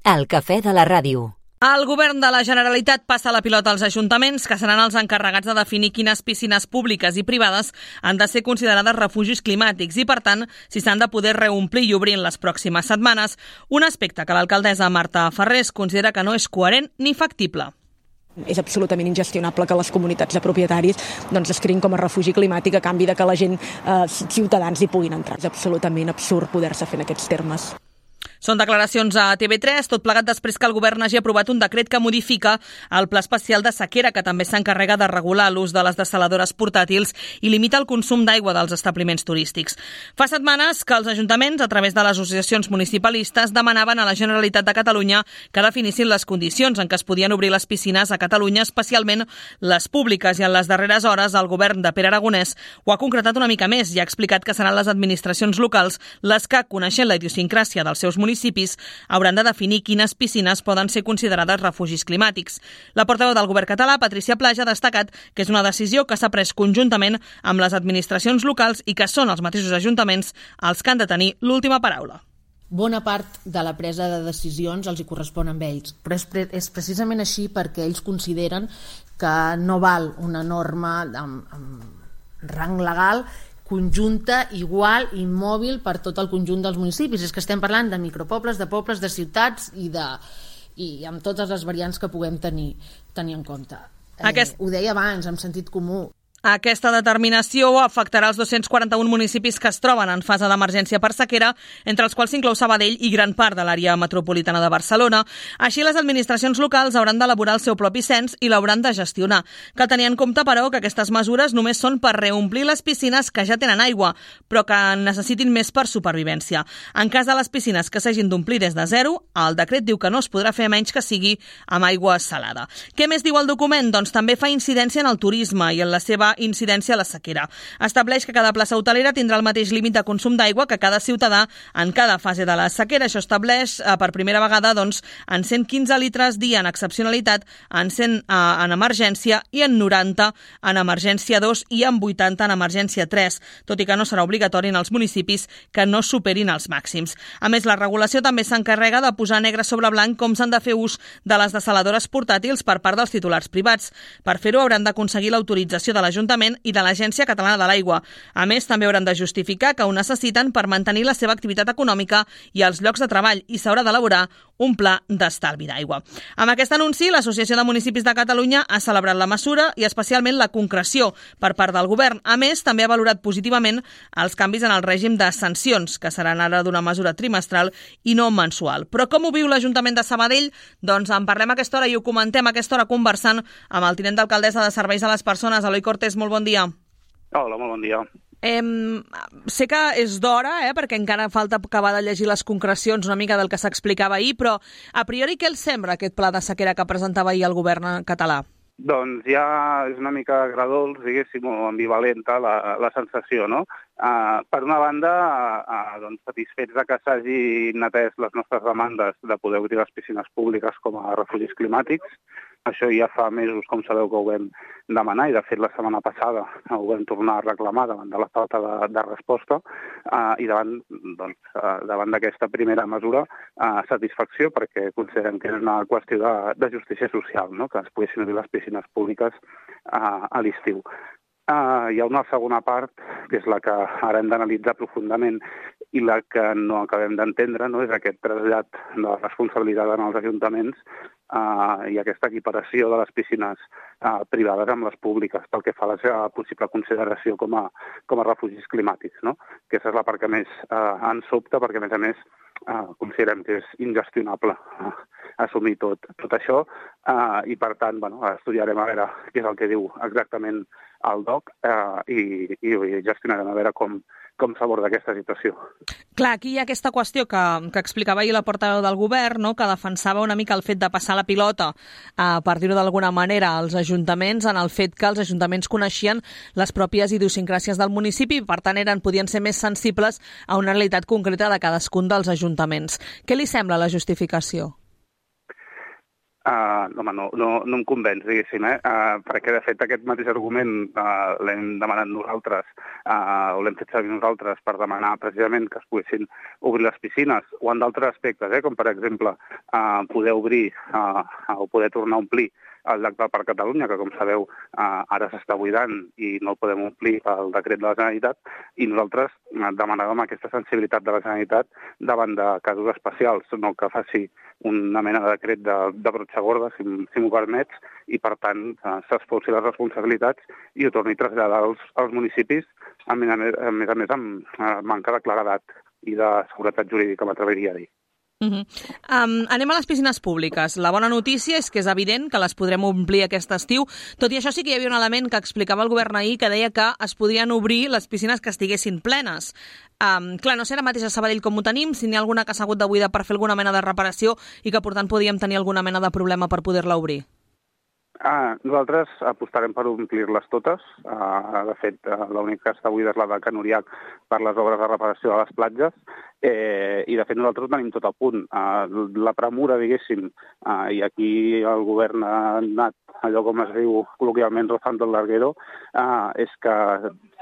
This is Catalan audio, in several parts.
El cafè de la ràdio. El govern de la Generalitat passa la pilota als ajuntaments, que seran els encarregats de definir quines piscines públiques i privades han de ser considerades refugis climàtics i, per tant, si s'han de poder reomplir i obrir en les pròximes setmanes, un aspecte que l'alcaldessa Marta Ferrés considera que no és coherent ni factible. És absolutament ingestionable que les comunitats de propietaris es creïn com a refugi climàtic a canvi de que la gent, ciutadans, hi puguin entrar. És absolutament absurd poder-se fer en aquests termes. Són declaracions a TV3, tot plegat després que el govern hagi aprovat un decret que modifica el Pla Especial de Sequera, que també s'encarrega de regular l'ús de les dessaladores portàtils i limita el consum d'aigua dels establiments turístics. Fa setmanes que els ajuntaments, a través de les associacions municipalistes, demanaven a la Generalitat de Catalunya que definissin les condicions en què es podien obrir les piscines a Catalunya, especialment les públiques, i en les darreres hores el govern de Pere Aragonès ho ha concretat una mica més i ha explicat que seran les administracions locals les que, coneixent la idiosincràsia dels seus municipis, hauran de definir quines piscines poden ser considerades refugis climàtics. La portaveu del govern català, Patricia Plaja, ha destacat que és una decisió que s'ha pres conjuntament amb les administracions locals i que són els mateixos ajuntaments els que han de tenir l'última paraula. Bona part de la presa de decisions els hi correspon amb ells, però és precisament així perquè ells consideren que no val una norma amb rang legal conjunta, igual, immòbil per tot el conjunt dels municipis. És que estem parlant de micropobles, de ciutats i amb totes les variants que puguem tenir en compte. Ho deia abans, amb sentit comú. Aquesta determinació afectarà els 241 municipis que es troben en fase d'emergència per sequera, entre els quals s'inclou Sabadell i gran part de l'àrea metropolitana de Barcelona. Així, les administracions locals hauran d'elaborar el seu propi cens i l'hauran de gestionar. Cal tenir en compte, però, que aquestes mesures només són per reomplir les piscines que ja tenen aigua, però que necessitin més per supervivència. En cas de les piscines que s'hagin d'omplir des de zero, el decret diu que no es podrà fer menys que sigui amb aigua salada. Què més diu el document? Doncs també fa incidència en el turisme i en la seva incidència a la sequera. Estableix que cada plaça hotelera tindrà el mateix límit de consum d'aigua que cada ciutadà en cada fase de la sequera. Això estableix per primera vegada en 115 litres dia en excepcionalitat, en 100 en emergència i en 90 en emergència 2 i en 80 en emergència 3, tot i que no serà obligatori en els municipis que no superin els màxims. A més, la regulació també s'encarrega de posar negre sobre blanc com s'han de fer ús de les dessaladores portàtils per part dels titulars privats. Per fer-ho hauran d'aconseguir l'autorització de l'Ajuntament i de l'Agència Catalana de l'Aigua. A més, també hauran de justificar que ho necessiten per mantenir la seva activitat econòmica i els llocs de treball i s'haurà d'elaborar un pla d'estalvi d'aigua. Amb aquest anunci, l'Associació de Municipis de Catalunya ha celebrat la mesura i especialment la concreció per part del govern. A més, també ha valorat positivament els canvis en el règim de sancions, que seran ara d'una mesura trimestral i no mensual. Però com ho viu l'Ajuntament de Sabadell? Doncs en parlem a aquesta hora i ho comentem a aquesta hora conversant amb el tinent d'alcaldessa de Serveis a les Persones, Eloi Cortés. Molt bon dia. Hola, molt bon dia. Sé que és d'hora, perquè encara falta acabar de llegir les concrecions una mica del que s'explicava ahir, però a priori què els sembla aquest pla de sequera que presentava ahir el govern català? Doncs ja és una mica agradolç, diguéssim, o ambivalenta la sensació, no? Per una banda, satisfets de que s'hagin atès les nostres demandes de poder obrir les piscines públiques com a refugis climàtics. Això ja fa mesos, com sabeu, que ho vam demanar i, de fet, la setmana passada ho vam tornar a reclamar davant de la falta de resposta i davant d'aquesta primera mesura, satisfacció, perquè considerem que és una qüestió de justícia social, no? Que es poguessin obrir les piscines públiques a l'estiu. Hi ha una segona part, que és la que ara hem d'analitzar profundament i la que no acabem d'entendre, no? És aquest trasllat de la responsabilitat en els ajuntaments i aquesta equiparació de les piscines privades amb les públiques pel que fa a la seva possible consideració com a refugis climàtics, no? Aquesta és la part que més ens sobta, perquè, a més, considerem que és ingestionable assumir tot això i, per tant, estudiarem a veure què és el que diu exactament el DOC i gestionarem a veure com s'aborda aquesta situació. Clar, aquí hi ha aquesta qüestió que explicava ahir la portaveu del govern, no?, que defensava una mica el fet de passar la pilota, per dir-ho d'alguna manera, als ajuntaments, en el fet que els ajuntaments coneixien les pròpies idiosincràsies del municipi i, per tant, podien ser més sensibles a una realitat concreta de cadascun dels ajuntaments. Què li sembla la justificació? Home, no em convenç, diguéssim, perquè de fet aquest mateix argument l'hem demanat nosaltres, o l'hem fet servir nosaltres per demanar precisament que es poguessin obrir les piscines, o en d'altres aspectes, com per exemple poder obrir o poder tornar a omplir el llac del Parc Catalunya, que com sabeu ara s'està buidant i no el podem omplir pel decret de la Generalitat, i nosaltres demanàvem aquesta sensibilitat de la Generalitat davant de casos especials, no que faci una mena de decret de brotxa gorda, si m'ho permets, i per tant s'expulsi les responsabilitats i ho torni a traslladar als municipis, a més a més amb manca de claredat i de seguretat jurídica, m'atreviria a dir. Anem a les piscines públiques. La bona notícia és que és evident que les podrem omplir aquest estiu. Tot i això sí que hi havia un element que explicava el govern ahir que deia que es podrien obrir les piscines que estiguessin plenes. Clar, no sé ara mateix a Sabadell com ho tenim, si n'hi ha alguna que s'ha hagut de buidar per fer alguna mena de reparació i que per tant podíem tenir alguna mena de problema per poder-la obrir. Nosaltres apostarem per omplir-les totes. De fet, l'única que està buida és la de Can Uriach per les obres de reparació de les platges, i de fet nosaltres ho tenim tot a punt. La premura, diguéssim, i aquí el govern ha anat, allò com es diu col·loquialment, rozando el larguero, és que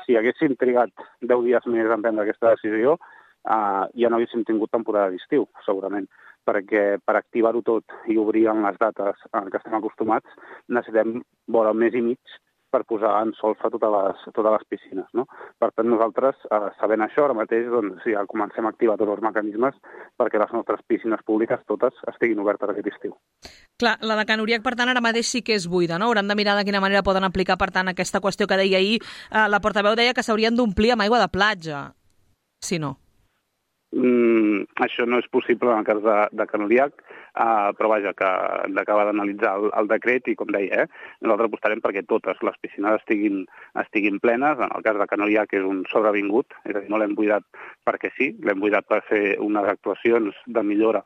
si haguéssim trigat 10 dies més en prendre aquesta decisió, ja no haguéssim tingut temporada d'estiu, segurament, perquè per activar-ho tot i obrir en les dates que estem acostumats necessitem vora un mes i mig per posar en solfa totes les piscines, no? Per tant, nosaltres, sabent això, ara mateix doncs, ja comencem a activar tots els mecanismes perquè les nostres piscines públiques totes estiguin obertes aquest estiu. Clar, la de Can Uriach, per tant, ara mateix sí que és buida, no? Hauran de mirar de quina manera poden aplicar, per tant, aquesta qüestió que deia ahir. La portaveu deia que s'haurien d'omplir amb aigua de platja, si no. Això no és possible en el cas de Can Uriach, però vaja, que hem d'acabar d'analitzar el decret i, com deia, nosaltres apostarem perquè totes les piscines estiguin plenes. En el cas de Can Uriach és un sobrevingut, és a dir, no l'hem buidat perquè sí, l'hem buidat per fer unes actuacions de millora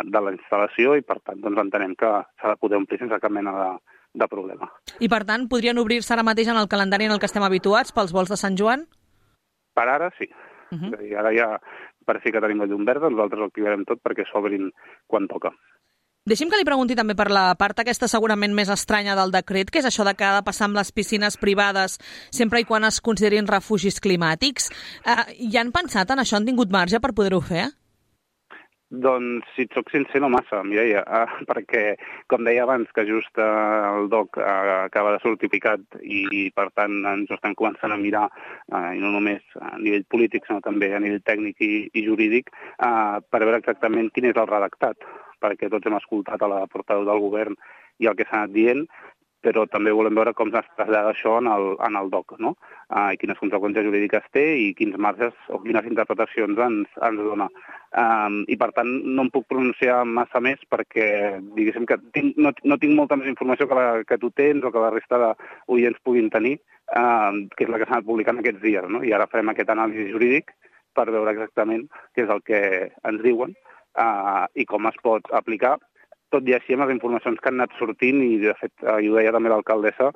de la instal·lació i, per tant, doncs entenem que s'ha de poder omplir sense cap mena de problema. I, per tant, podrien obrir-se ara mateix en el calendari en el que estem habituats pels vols de Sant Joan? Per ara, sí. És a dir, ara ja per fi que tenim la llum verda, nosaltres ho activarem tot perquè s'obrin quan toca. Deixi'm que li pregunti també per la part aquesta segurament més estranya del decret, que és això de que ha de passar amb les piscines privades sempre i quan es considerin refugis climàtics. Ja han pensat en això? Han tingut marge per poder-ho fer? Doncs, si et soc sincer, no massa, Mireia, perquè, com deia abans, que just el DOC acaba de sortir picat i, per tant, ens ho estem començant a mirar, i no només a nivell polític, sinó també a nivell tècnic i jurídic, per veure exactament quin és el redactat, perquè tots hem escoltat a la portaveu del govern i el que s'ha anat dient, però també volem veure com es trasllada això en el DOC, no? I quines conseqüències jurídiques té i quins marges o quines interpretacions ens dona. I, per tant, no em puc pronunciar massa més perquè, diguéssim, que no tinc molta més informació que tu tens o que la resta d'oients puguin tenir, que és la que s'ha anat publicant aquests dies, no? I ara farem aquest anàlisi jurídic per veure exactament què és el que ens diuen i com es pot aplicar. Tot i així, amb les informacions que han anat sortint, i de fet, i ho deia també l'alcaldessa,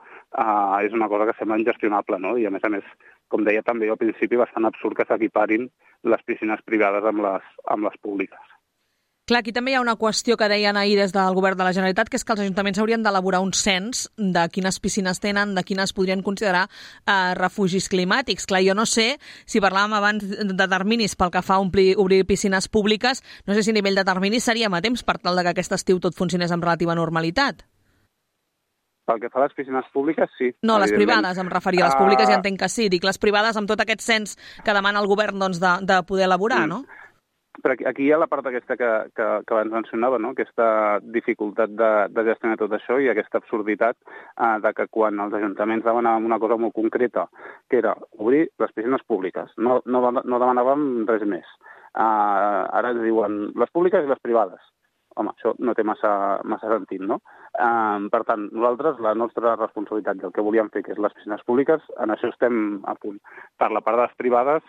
és una cosa que sembla ingestionable, no? I a més, com deia també al principi, bastant absurd que s'equiparin les piscines privades amb les públiques. Clar, aquí també hi ha una qüestió que deien ahir des del govern de la Generalitat, que és que els ajuntaments haurien d'elaborar un cens de quines piscines tenen, de quines podrien considerar refugis climàtics. Clar, jo no sé, si parlàvem abans de terminis pel que fa a obrir piscines públiques, no sé si a nivell de terminis seríem a temps per tal que aquest estiu tot funcionés amb relativa normalitat. Pel que fa a les piscines públiques, sí. No, les privades, em referia. Les públiques ja entenc que sí. Dic, les privades amb tot aquest cens que demana el govern doncs, de poder elaborar, no? Però aquí hi ha la part aquesta que abans mencionava, no? Aquesta dificultat de gestionar tot això i aquesta absurditat de que quan els ajuntaments demanàvem una cosa molt concreta, que era obrir les piscines públiques, no demanàvem res més. Ara ens diuen les públiques i les privades. Home, això no té massa sentit, no? Per tant, nosaltres, la nostra responsabilitat i el que volíem fer, que és les piscines públiques, en això estem a punt. Per la part de les privades,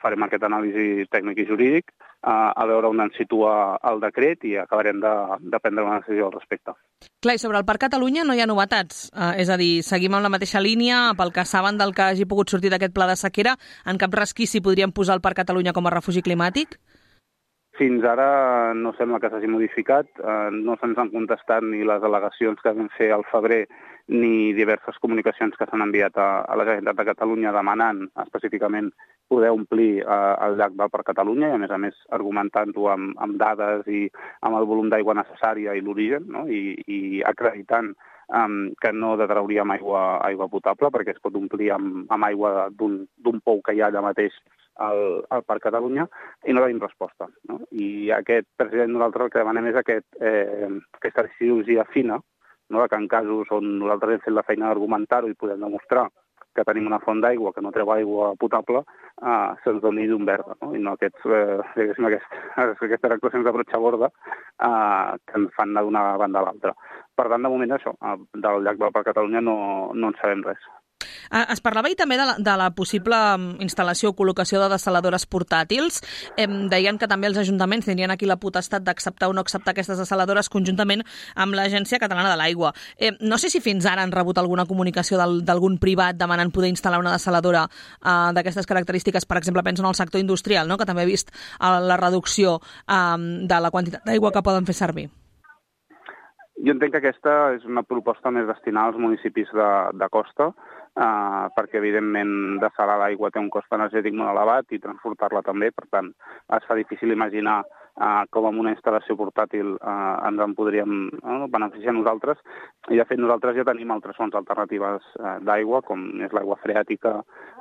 farem aquest anàlisi tècnic i jurídic, a veure on ens situa el decret i acabarem de prendre una decisió al respecte. Clar, i sobre el Parc Catalunya no hi ha novetats. És a dir, seguim amb la mateixa línia, pel que saben del que hagi pogut sortir d'aquest pla de sequera, en cap resquici podríem posar el Parc Catalunya com a refugi climàtic? Fins ara no sembla que s'hagi modificat, no se'ns han contestat ni les al·legacions que vam fer al febrer ni diverses comunicacions que s'han enviat a la Generalitat de Catalunya demanant específicament poder omplir el llac del Parc Catalunya i, a més, argumentant-ho amb dades i amb el volum d'aigua necessària i l'origen, no? I acreditant que no detrauríem aigua potable perquè es pot omplir amb aigua d'un pou que hi ha allà mateix al Parc Catalunya, i no tenim resposta, no? I president, nosaltres el que demanem és aquesta cirurgia fina, no? Que en casos on nosaltres hem fet la feina d'argumentar-ho i podem demostrar que tenim una font d'aigua que no treu aigua potable, se'ns doni llum verda, no? I no aquestes actuacions de brotxaborda que ens fan anar d'una banda a l'altra. Per tant, de moment, això, del llac del Parc Catalunya no en sabem res. Es parlava ahir també de la possible instal·lació o col·locació de dessaladores portàtils. Deien que també els ajuntaments tindrien aquí la potestat d'acceptar o no acceptar aquestes dessaladores conjuntament amb l'Agència Catalana de l'Aigua. No sé si fins ara han rebut alguna comunicació d'algun privat demanant poder instal·lar una dessaladora d'aquestes característiques. Per exemple, penso en el sector industrial, no? Que també ha vist la reducció de la quantitat d'aigua que poden fer servir. Jo entenc que aquesta és una proposta més destinada als municipis de costa, perquè, evidentment, dessalar l'aigua té un cost energètic molt elevat i transportar-la també. Per tant, es fa difícil imaginar com amb una instal·lació portàtil ens en podríem beneficiar nosaltres. I, de fet, nosaltres ja tenim altres fonts alternatives d'aigua, com és l'aigua freàtica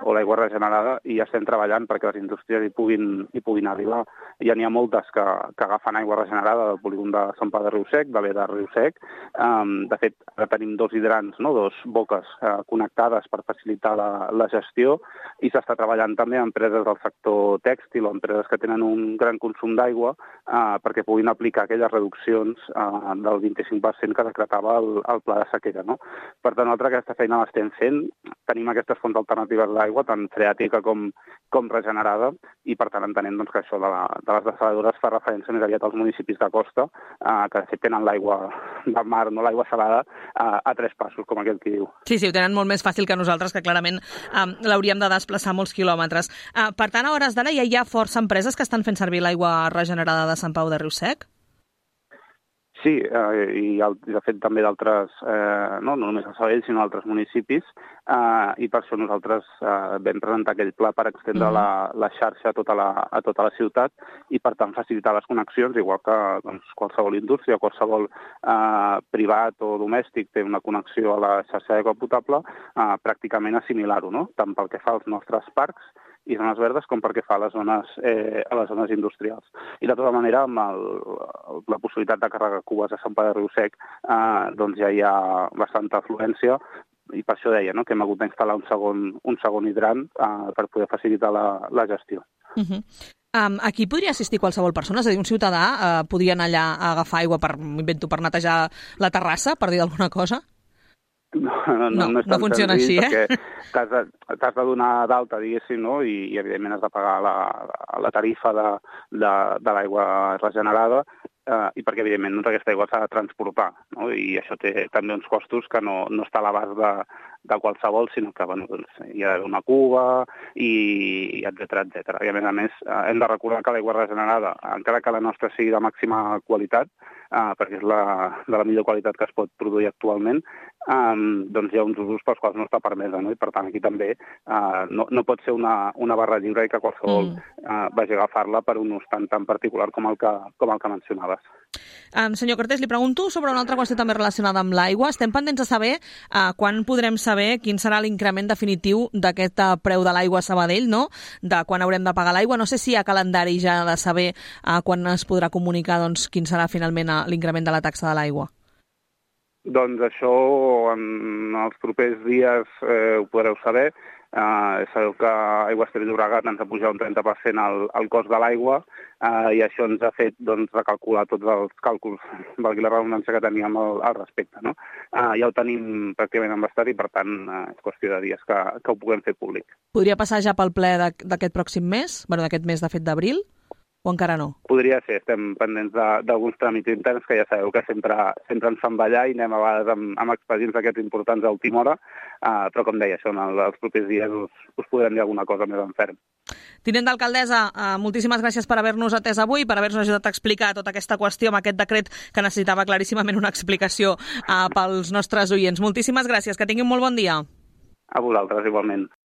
o l'aigua regenerada, i ja estem treballant perquè les indústries hi puguin arribar. Ja n'hi ha moltes que agafen aigua regenerada del polígon de Sant Pau de Riu-Sec, de l'E de Riu-Sec. De fet, ara tenim 2 hidrants, dos boques connectades per facilitar la gestió, i s'està treballant també amb empreses del sector tèxtil o empreses que tenen un gran consum d'aigua perquè puguin aplicar aquelles reduccions del 25% que decretava el pla de sequera, no? Per tant, nosaltres aquesta feina l'estem fent. Tenim aquestes fonts alternatives d'aigua, tant freàtica com regenerada, i per tant entenem que això de les dessaladores fa referència més aviat als municipis de costa, que de fet tenen l'aigua del mar, no l'aigua salada, a 3 passos, com aquell qui diu. Sí, ho tenen molt més fàcil que nosaltres, que clarament l'hauríem de desplaçar molts quilòmetres. Per tant, a hores d'ara ja hi ha força empreses que estan fent servir l'aigua regenerada de Sant Pau de Riu-Sec? Sí, i de fet també d'altres, no només a Sabadell, sinó d'altres municipis, i per això nosaltres vam presentar aquell pla per extendre la xarxa a tota la ciutat i, per tant, facilitar les connexions, igual que qualsevol indústria, qualsevol privat o domèstic té una connexió a la xarxa d'aigua potable, pràcticament assimilar-ho, no? Tant pel que fa als nostres parcs i zones verdes com perquè fa a les zones industrials. I de tota manera, amb la possibilitat de carregar cubes a Sant Pau de Riu-Sec, ja hi ha bastanta afluència, i per això deia que hem hagut d'instal·lar un segon hidrant per poder facilitar la gestió. Aquí podria assistir qualsevol persona? És a dir, un ciutadà podria anar allà a agafar aigua per netejar la terrassa, per dir alguna cosa? No funciona així, perquè t'has de donar d'alta, diguéssim, no? I evidentment has de pagar la tarifa de l'aigua regenerada, i perquè, evidentment, aquesta aigua s'ha de transportar, no? I això té també uns costos que no està a l'abast de qualsevol, sinó que hi ha d'haver una cuba, i etcètera. I, a més, hem de recordar que l'aigua regenerada, encara que la nostra sigui de màxima qualitat, perquè és de la millor qualitat que es pot produir actualment, hi ha uns usos pels quals no està permesa, no? I per tant aquí també no pot ser una barra lliure i que qualsevol vagi a agafar-la per un ús tan particular com el que mencionaves. Senyor Cortés, li pregunto sobre una altra qüestió també relacionada amb l'aigua. Estem pendents de saber quan podrem saber quin serà l'increment definitiu d'aquest preu de l'aigua a Sabadell, no? De quan haurem de pagar l'aigua. No sé si hi ha calendari ja de saber quan es podrà comunicar quin serà finalment l'increment de la taxa de l'aigua. Doncs això en els propers dies ho podreu saber. Sabeu que Aigües Ter Llobregat ens ha pujat un 30% el cost de l'aigua, i això ens ha fet recalcular tots els càlculs, valgui la redundància, que teníem al respecte, no? Ja ho tenim pràcticament embastat i, per tant, és qüestió de dies que ho puguem fer públic. Podria passar ja pel ple d'aquest pròxim mes? D'aquest mes, de fet, d'abril? o encara no? Podria ser, estem pendents d'alguns tràmits interns que ja sabeu que sempre ens fan ballar i anem a vegades amb expedients aquests importants a última hora, però com deia, això en els propers dies us podrem dir alguna cosa més en ferm. Tinent d'alcaldessa, moltíssimes gràcies per haver-nos atès avui, per haver-nos ajudat a explicar tota aquesta qüestió amb aquest decret que necessitava claríssimament una explicació pels nostres oients. Moltíssimes gràcies, que tinguin molt bon dia. A vosaltres, igualment.